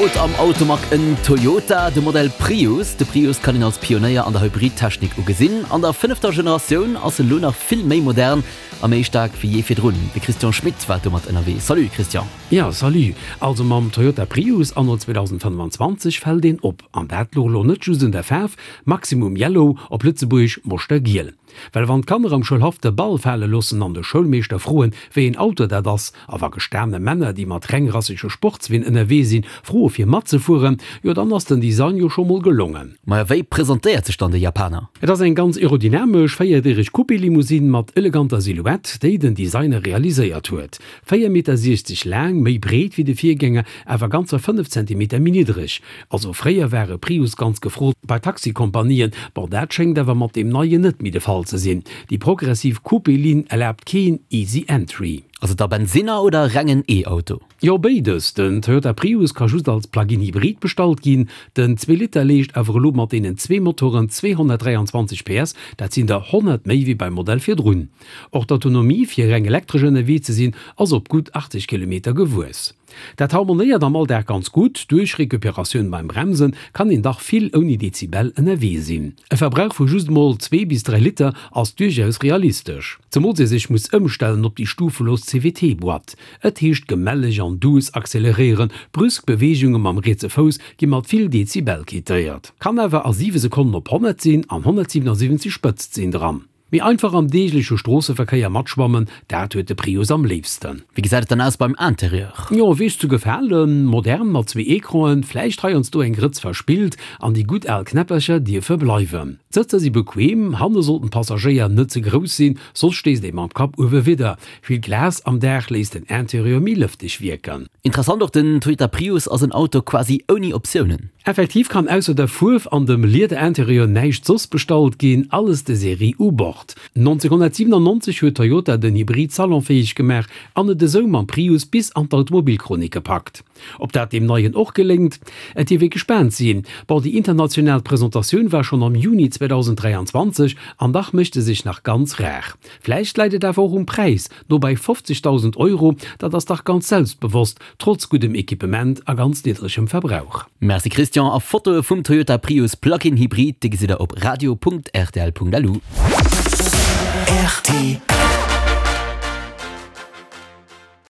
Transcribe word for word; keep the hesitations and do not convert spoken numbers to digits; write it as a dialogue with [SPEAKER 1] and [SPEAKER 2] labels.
[SPEAKER 1] Haut am Automag en Toyota, de Modell Prius. De Prius kann een als Pionéier an der Hybrid-Technik ugesinn. An der fënnefter Generatioun ass en elo nach vill méi modern a méi staark wéi jee virdrun. De Christian Schmit war domat ënnerwee. Salut Christian.
[SPEAKER 2] Jo, salut. Also mam Toyota Prius anno zweedausendfënnefanzwanzeg fält een op. An dat louch elo net just un der Faarf, Maximum Yellow, op Lëtzebuergesch Moschtergiel. Well wann d'Kanner am Schoulhaff de Ball fale loossen an de Schoulmeeschter froen, wéi een Auto dat ass, a wa gestane Männer, déi mat rengrassege Sportsween ënnerwee sinn, froe fir matzefueren, jo dann ass den Design jo scho mol gelongen.
[SPEAKER 1] Maja, wéi presentéiert sech dann de Japaner?
[SPEAKER 2] Et ass eng ganz aerodynamesch, véierdireg Coupé-Limousine mat eleganter Silhouette, déi den Designer realiséiert huet. Véier Meter siechzeg laang, méi breet wéi de Virgänger, awer ganzer fënnef Zentimeter méi niddreg. Also fréier war e Prius ganz gefrot bei Taxikompanien, bon dat schéngt awer mat deem neien net méi de Fall ze sinn. Déi progressiv Coupé-Linn erlaabt keen easy entry.
[SPEAKER 1] Ass et da Bensinner oder rengen E-Auto?
[SPEAKER 2] Jo béides, den Toyota Prius ka just als Plug-in Hybrid bestallt ginn. Den zwee Liter leescht awer elo mat deenen zwee Motoren zweehonnertdräianzwanzeg P S, dat sinn der honnert méi wéi beim Modell virdrun. Och d'Autonomie fir reng elektresch ënnerwee ze sinn ass op gutt achtzeg Kilometer gewuess. Dat harmonéiert am Alldag ganz gutt, duerch Recuperatioun beim Bremsen kann een dach vill ouni Dezibel ënnerwee sinn. E Verbrauch vu just mol zwee bis dräi Liter ass duerchaus realistesch, zemools ee sech muss ëmstellen op déi stufelos C V T-Boîte. Et heescht gemälleg an duuss acceleréieren, brüsk Beweegunge mam rietse Fouss gi mat vill Dezibel quittéiert. Kann awer a siwe Sekonnen op honnert sinn an honnertsiwenasiwwenzeg Spëtzt sinn dran. Mee einfach am deegleche Stroosseverkéier matschwammen, dat huet de Prius am léifsten.
[SPEAKER 1] Wéi gesäit et dann aus beim Interieur?
[SPEAKER 2] Jo, weess ze gefalen, modern mat zwee Ecranen, vläicht heiansdo eng Grëtz verspillt, an déi gutt al Knäppercher dierfe bleiwen. D'Sëtzer si bequem, hanne sollten d'Passagéier net ze grouss sinn, soss stéisst ee mam Kapp uewe widder. Vill Glas am Daach léisst den Interieur méi lëfteg wierken.
[SPEAKER 1] Interessant och, den Toyota Prius ass en Auto quasi ouni Optiounen.
[SPEAKER 2] Effektiv kann ausser der Fuerf an dem Lieder-Interieur näischt soss bestallt ginn, alles de Serie u Bord. nonzénghonnertsiwenannonzeg huet Toyota den Hybrid salonfäeg gemaach an et esou mam Prius bis an d'Automobilchronik gepackt. Ob dat deem neien och geléngt? Et dierf ee gespaant sinn. Bon, déi international Presentatioun war schonn am Juni zweedausendräianzwanzeg an dach mécht e sech nach ganz rar. Vläicht läit et awer och um Präis, no bei fofzegdausend Euro, dat ass dach ganz selbstbewosst, trotz guddem Equipement a ganz niddregem Verbrauch.
[SPEAKER 1] Merci Christian, a Fotoe vum Toyota Prius Plug-in Hybrid, déi gesitt der op radio punkt rtl punkt lu.
[SPEAKER 3] Rtl.